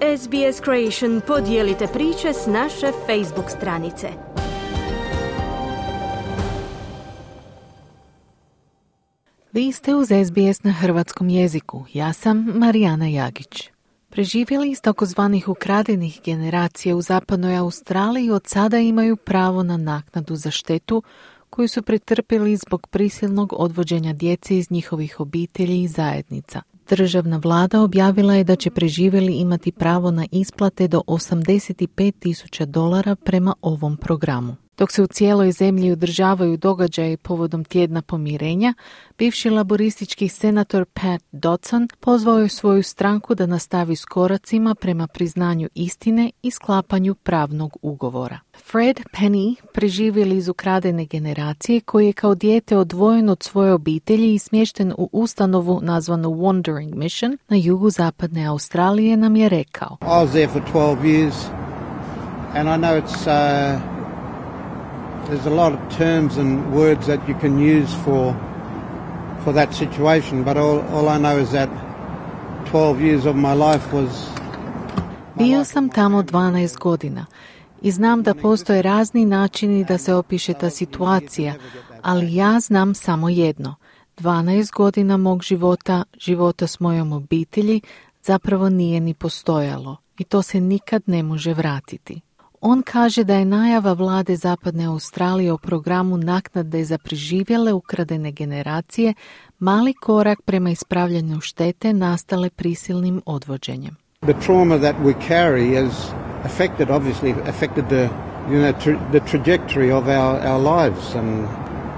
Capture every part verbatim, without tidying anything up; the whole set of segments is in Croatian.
S B S Creation podijelite priče s naše Facebook stranice. Vi ste uz S B S na hrvatskom jeziku. Ja sam Marijana Jagić. Preživjeli iz takozvanih ukradenih generacija u zapadnoj Australiji od sada imaju pravo na naknadu za štetu koju su pretrpjeli zbog prisilnog odvođenja djece iz njihovih obitelji i zajednica. Državna vlada objavila je da će preživjeli imati pravo na isplate do osamdeset pet tisuća dolara prema ovom programu. Dok se u cijeloj zemlji održavaju događaji povodom tjedna pomirenja, bivši laboristički senator Pat Dodson pozvao je svoju stranku da nastavi s koracima prema priznanju istine i sklapanju pravnog ugovora. Fred Penny, preživjeli iz ukradene generacije, koji je kao dijete odvojen od svoje obitelji i smješten u ustanovu nazvanu Wandering Mission na jugu zapadne Australije, nam je rekao: I was there for twelve years and I know it's uh... There's a lot of terms and words that you can use for for that situation, but all, all I know is that twelve years of my life was... Bio sam tamo dvanaest godina i znam da postoje razni načini da se opiše ta situacija, ali ja znam samo jedno. dvanaest godina mog života, života s mojom obitelji, zapravo nije ni postojalo i to se nikad ne može vratiti. On kaže da je najava vlade Zapadne Australije o programu naknade za preživjele ukradene generacije mali korak prema ispravljanju štete nastale prisilnim odvođenjem. The trauma that we carry has affected, obviously affected the, you know, tra- the trajectory of our, our lives, and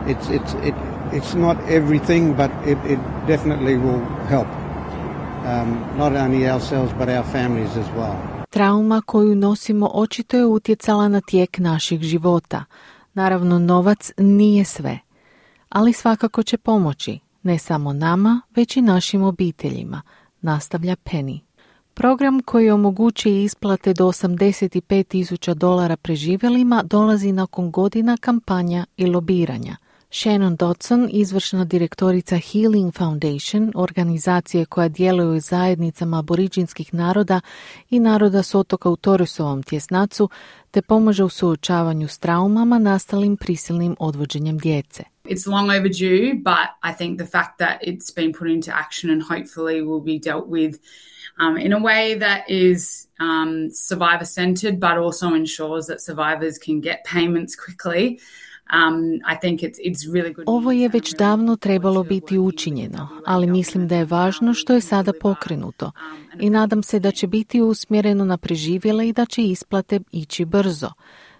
it's it's it it's not everything, but it, it definitely will help. Um, not only ourselves but our families as well. Trauma koju nosimo očito je utjecala na tijek naših života. Naravno, novac nije sve, ali svakako će pomoći, ne samo nama, već i našim obiteljima, nastavlja Penny. Program koji omogućuje isplate do osamdeset pet tisuća dolara preživjelima dolazi nakon godina kampanja i lobiranja. Shannon Dodson, izvršna direktorica Healing Foundation, organizacije koja djeluje u zajednicama aboriđinskih naroda i naroda s otoka u Torresovom tjesnacu, te pomaže u suočavanju s traumama nastalim prisilnim odvođenjem djece. It's long overdue, but I think the fact that it's been put into action and hopefully will be dealt with um, in a way that is um, survivor-centered, but also ensures that survivors can get payments quickly. Um, I think it's, it's really good. Ovo je već davno trebalo biti učinjeno, ali mislim da je važno što je sada pokrenuto i nadam se da će biti usmjereno na preživjele i da će isplate ići brzo.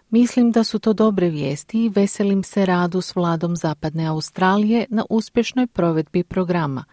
Mislim da su to dobre vijesti i veselim se radu s vladom Zapadne Australije na uspješnoj provedbi programa,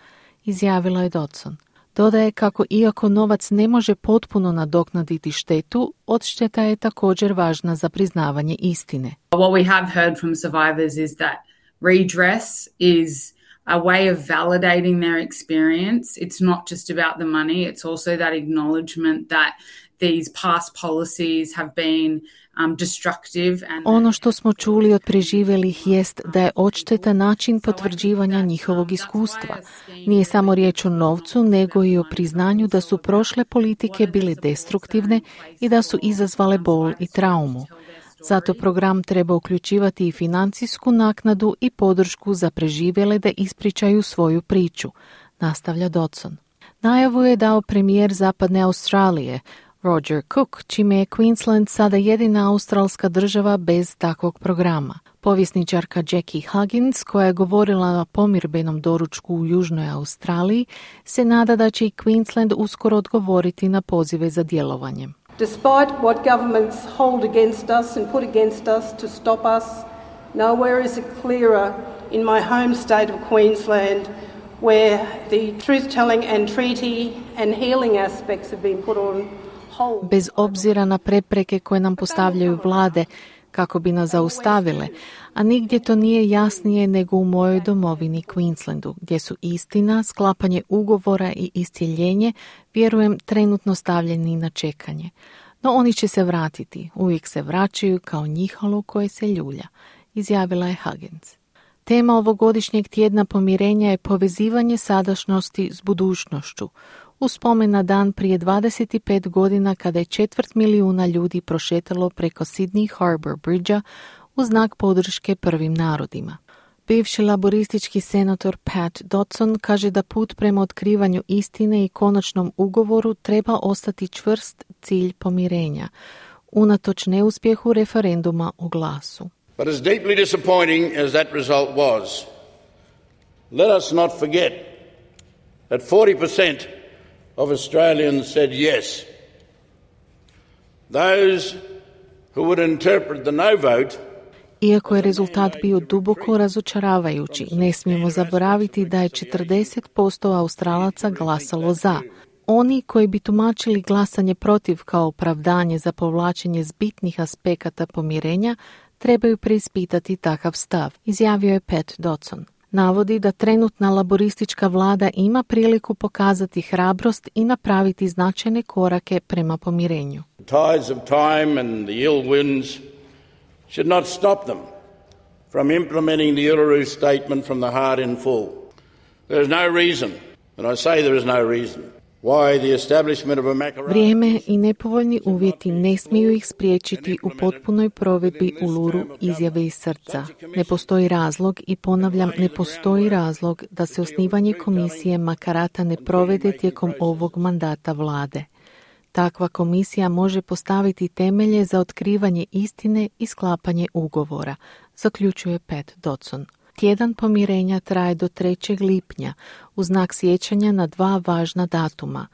izjavila je Dodson. Dodaje kako iako novac ne može potpuno nadoknaditi štetu, odšteta je također važna za priznavanje istine. What we have heard from survivors is that redress is a way of validating their experience. It's not just about the money, it's also that acknowledgement that these past policies have been um, destructive. And ono što smo čuli od preživjelih jest da je odšteta način potvrđivanja njihovog iskustva. Nije samo riječ o novcu, nego i o priznanju da su prošle politike bile destruktivne i da su izazvale bol i traumu. Zato program treba uključivati i financijsku naknadu i podršku za preživjele da ispričaju svoju priču, nastavlja Dodson. Najavu je dao premijer Zapadne Australije, Roger Cook, čime je Queensland sada jedina australska država bez takvog programa. Povjesničarka Jackie Huggins, koja je govorila na pomirbenom doručku u Južnoj Australiji, se nada da će i Queensland uskoro odgovoriti na pozive za djelovanjem. Despite what governments hold against us and put against us to stop us, nowhere is it clearer in my home state of Queensland, where the truth-telling and treaty and healing aspects have been put on hold. Bez obzira na prepreke koje nam postavljaju vlade kako bi nas zaustavile, a nigdje to nije jasnije nego u mojoj domovini Queenslandu, gdje su istina, sklapanje ugovora i iscjeljenje, vjerujem, trenutno stavljeni na čekanje. No oni će se vratiti, uvijek se vraćaju kao njihalo koje se ljulja, izjavila je Huggins. Tema ovogodišnjeg tjedna pomirenja je povezivanje sadašnjosti s budućnošću. u spomen na dan prije dvadeset pet godina kada je četvrt milijuna ljudi prošetalo preko Sydney Harbour Bridgea u znak podrške prvim narodima. Bivši laboristički senator Pat Dodson kaže da put prema otkrivanju istine i konačnom ugovoru treba ostati čvrst cilj pomirenja, unatoč neuspjehu referenduma o glasu. But as deeply disappointing as that result was, let us not forget that forty percent of Australians said yes. Those who would interpret the no vote. Iako je rezultat bio duboko razočaravajući, ne smijemo zaboraviti da je četrdeset posto Australaca glasalo za. Oni koji bi tumačili glasanje protiv kao opravdanje za povlačenje zbitnih aspekata pomirenja trebaju preispitati takav stav, izjavio je Pat Dodson. Navodi da trenutna laboristička vlada ima priliku pokazati hrabrost i napraviti značajne korake prema pomirenju. Tides of time and the ill winds should not stop them from implementing the Uluru Statement from the heart in full. There is no reason, and I say there is no reason, why the establishment of a Makarrata... Vrijeme i nepovoljni uvjeti ne smiju ih spriječiti u potpunoj provedbi Uluru izjave iz srca. Ne postoji razlog, i ponavljam, ne postoji razlog da se osnivanje komisije Makarrata ne provede tijekom ovog mandata vlade. Takva komisija može postaviti temelje za otkrivanje istine i sklapanje ugovora, zaključuje Pat Dodson. Tjedan pomirenja traje do trećeg lipnja u znak sjećanja na dva važna datuma,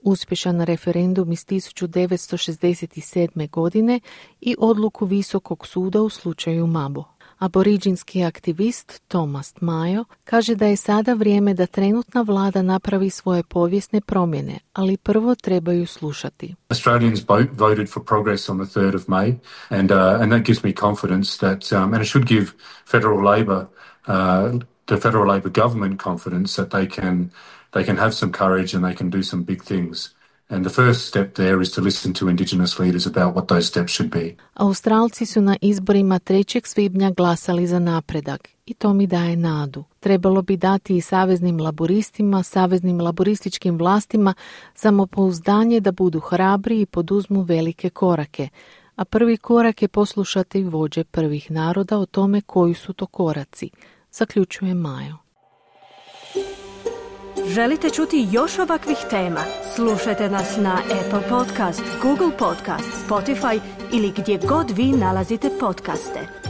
uspješan referendum iz tisuću devetsto šezdeset sedme. godine i odluku Visokog suda u slučaju Mabo. Aboriđinski aktivist Thomas Mayo kaže da je sada vrijeme da trenutna vlada napravi svoje povijesne promjene, ali prvo trebaju slušati. Australians voted for progress on the third of May, and uh, and that gives me confidence that um, and it should give federal Labor uh, the federal Labor government confidence that they can they can have some courage and they can do some big things. And the first step there is to listen to Indigenous leaders about what those steps should be. Australci su na izborima trećeg svibnja glasali za napredak i to mi daje nadu. Trebalo bi dati i saveznim laboristima, saveznim laborističkim vlastima samopouzdanje da budu hrabri i poduzmu velike korake. A prvi korak je poslušati vođe prvih naroda o tome koji su to koraci, zaključuje Mayo. Želite čuti još ovakvih tema? Slušajte nas na Apple Podcast, Google Podcast, Spotify ili gdje god vi nalazite podcaste.